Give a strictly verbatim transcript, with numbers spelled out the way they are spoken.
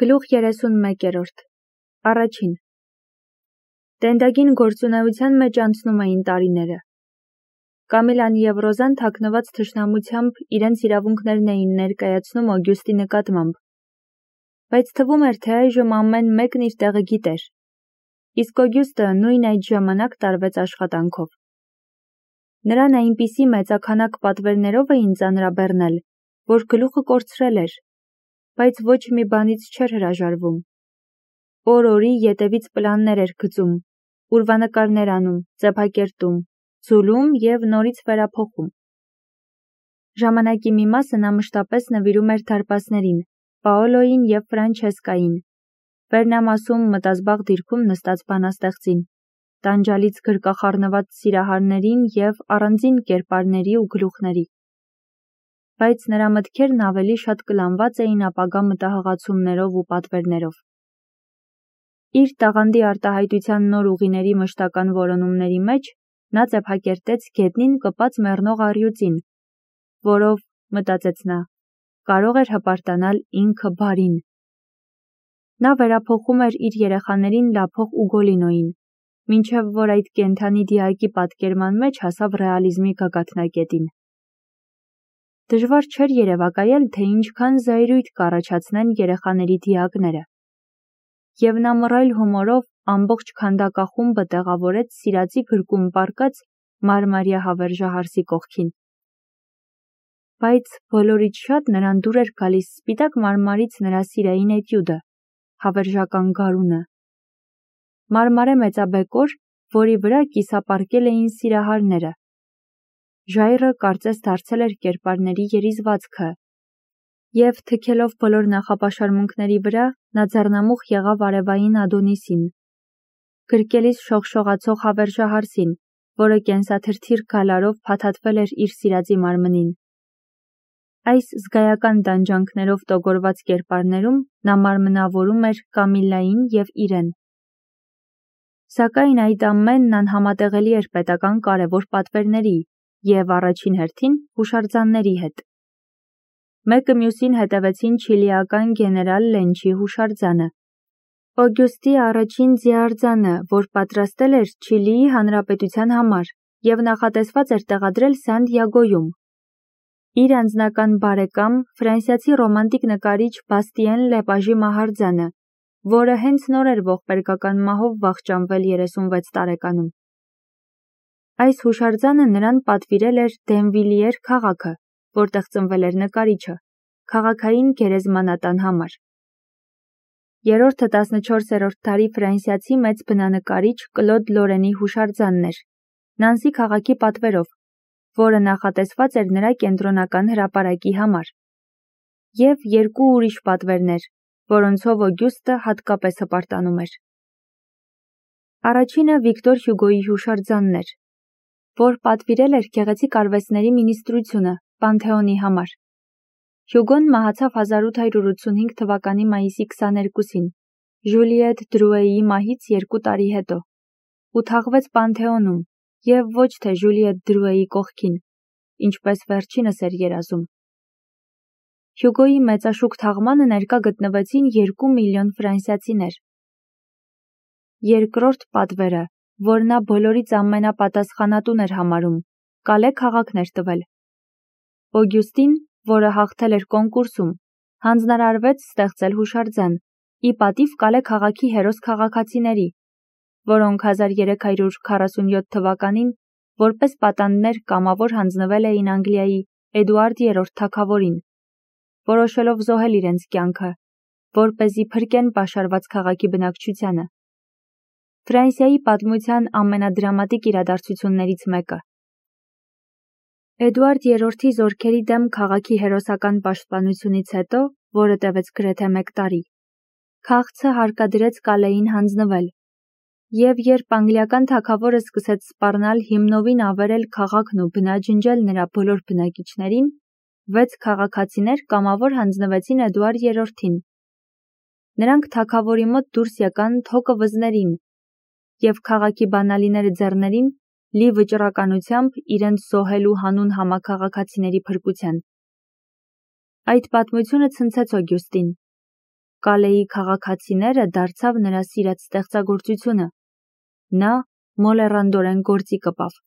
Գլուխ երեսունմեկերորդ Առաջին Տենդագին գործունեության մեջ անցնում էին տարիները։ Կամիլան և Ռոզան թաքնված թշնամությամբ իրենց իրավունքներն էին ներկայացնում Օգյուստի նկատմամբ, բայց թվում էր, թե այժմ ամեն մեկն իր տեղը գիտեր, իսկ Օգյուստը նույն այդ ժամանակ տարվեց աշխատանքով։ Նրան այնպիսի մեծաքանակ պատվերներով էին ծանրաբեռնել, որ գլուխը կորցրել էր, բայց ոչ մի բանից չէր հրաժարվում։ Օր-օրի ետևից պլաններ էր գծում, ուրվանկարներ անում, ծեփակերտում, ձուլում և նորից վերափոխում։ Ժամանակի մի մասը նա մշտապես նվիրում էր դարպասներին, Պաոլոյին և Ֆրանչեսկային, վերնամասում մտազբաղ դիրքում նստած բանաստեղծին, տանջալից գրկախառնված սիրահարներին և առանձին կերպարների ու գլուխների։ Բայց նրա մտքերն ավելի շատ կլանված էին ապագա մտահղացումներով ու պատվերներով։ Իր տաղանդի արտահայտության նոր ուղիների մշտական որոնումների մեջ նա ծեփակերտեց գետնին կպած մեռնող առյուծին, որով, մտածեց նա, կարող էր հպարտանալ ինքը բարին։ Նա վերափոխում էր իր երեխաներին լափող Ուգոլինոյին, մինչև որ այդ կենդանի դիակի պատկերման մեջ հասավ ռեալիզմի գագաթնակետին։ Դժվար չէր երևակայել, թե ինչքան զայրույթ կառաջացնեն երեխաների դիակները։ Եվ նա մռայլ հումորով ամբողջ քանդակախումբը տեղավորեց սիրածի գրկում պառկած մարմարյա հավերժահարսի կողքին։ Բայց բոլորից շատ նրան դուր էր գալիս սպիտակ մարմարից նրա սիրային էտյուդը, հավերժական գարունը։ Մարմարե մեծաբեկոր, որի վրա կիսապառկել էին սիրահարները։ Ժայռը կարծես դարձել էր կերպարների երիզվածքը, և թքելով բոլոր նախապաշարմունքների վրա, նա ձեռնամուխ եղավ արևային Ադոնիսին, գրկելիս շողշողացող հավերժահարսին, որը կենսաթրթիր գալարով փաթաթվել էր իր սիրածի մարմնին։ Այս զգայական տանջանքներով տոգորված կերպարներում նա մարմնավորում էր Կամիլային և իրեն։ Սակայն այդ ամենն անհամատեղելի էր պետական կարևոր պատվերների և առաջին հերթին հուշարձանների հետ։ Մեկը մյուսին հետևեցին չիլիական գեներալ Լենչի հուշարձանը, Օգյուստի առաջին ձիաարձանը, որ պատրաստել էր Չիլիի հանրապետության համար և նախատեսված էր տեղադրել Սանտիագոյում, իր անձնական բարեկամ, ֆրանսիացի ռոմանտիկ նկարիչ Բաստիեն Լեպաժի մահարձանը, որը հենց նոր էր ողբերգական մահով վախճանվել երեսունվեց տարեկանում։ Այս հուշարձանը նրան պատվիրել էր Դենվիլիեր քաղաքը, որտեղ ծնվել էր նկարիչը, քաղաքային գերեզմանատան համար։ Երրորդը տասնչորսերորդ դարի ֆրանսիացի մեծ բնանկարիչ Կլոդ Լորենի հուշարձանն էր, Նանսի քաղաքի պատվերով, որը նախատեսված էր նրա կենտրոնական հրապարակի համար, և երկու ուրիշ պատվերներ, որոնցով Օգյուստը հատկապես հպարտանում էր։ Առաջինը Վիկտոր Հյուգոյի հուշարձանն էր, որ պատվիրել էր գեղեցիկ արվեստների մինիստրությունը Պանթեոնի համար։ Հյուգոն մահացավ հազար ութ հարյուր ութսունհինգ թվականի մայիսի քսաներկուսին, Ժուլիետ Դրուեի մահից երկու տարի հետո, ու թաղվեց Պանթեոնում, և ոչ թե Ժուլիետ Դրուեի կողքին, ինչպես վերջինս էր երազում։ Հյուգոյի մեծաշուք թաղմանը ներկա գտնվեցին երկու միլիոն ֆրանսիացիներ։ Երկրորդ պատվերը, որ նա բոլորից ամենապատասխանատուն էր համարում, Կալե քաղաքն էր տվել։ Օգյուստին, որը հաղթել էր կոնկուրսում, հանձնարարվեց ստեղծել հուշարձան, ի պատիվ Կալե քաղաքի հերոս քաղաքացիների, որոնք հազար երեք հարյուր քառասունյոթ թվականին որպես պատանդներ կամավոր հանձնվել էին Անգլիայի Էդուարդ երրորդ թագավորին, որոշելով զոհել իրենց կյանքը, որպեսզի փրկեն պաշարված քաղաքի բնակչությանը։ Ֆրանսիայի պատմության ամենադրամատիկ իրադարձություններից մեկը։ Էդուարդ երրորդի զորքերի դեմ քաղաքի հերոսական պաշտպանությունից հետո, որը տևեց գրեթե մեկ տարի, քաղցը հարկադրեց Կալեին հանձնվել, և երբ անգլիական թագավորը սկսեց սպառնալ հիմնովին ավերել քաղաքն ու բնաջնջել նրա բոլոր բնակիչներին, վեց քաղաքացիներ կամավոր հանձնվեցին Էդուարդ երրորդին։ Նրանք թագավորի մոտ դուրս եկան թոկը վզներին և քաղաքի բանալիները ձեռներին, լի վճռականությամբ իրենց զոհելու հանուն համաքաղաքացիների փրկության։ Այդ պատմությունը ցնցեց Օգյուստին։ Կալեի քաղաքացիները դարձավ նրա սիրած ստեղծագործությունը։ Նա մոլեռանդորեն գործի կպավ։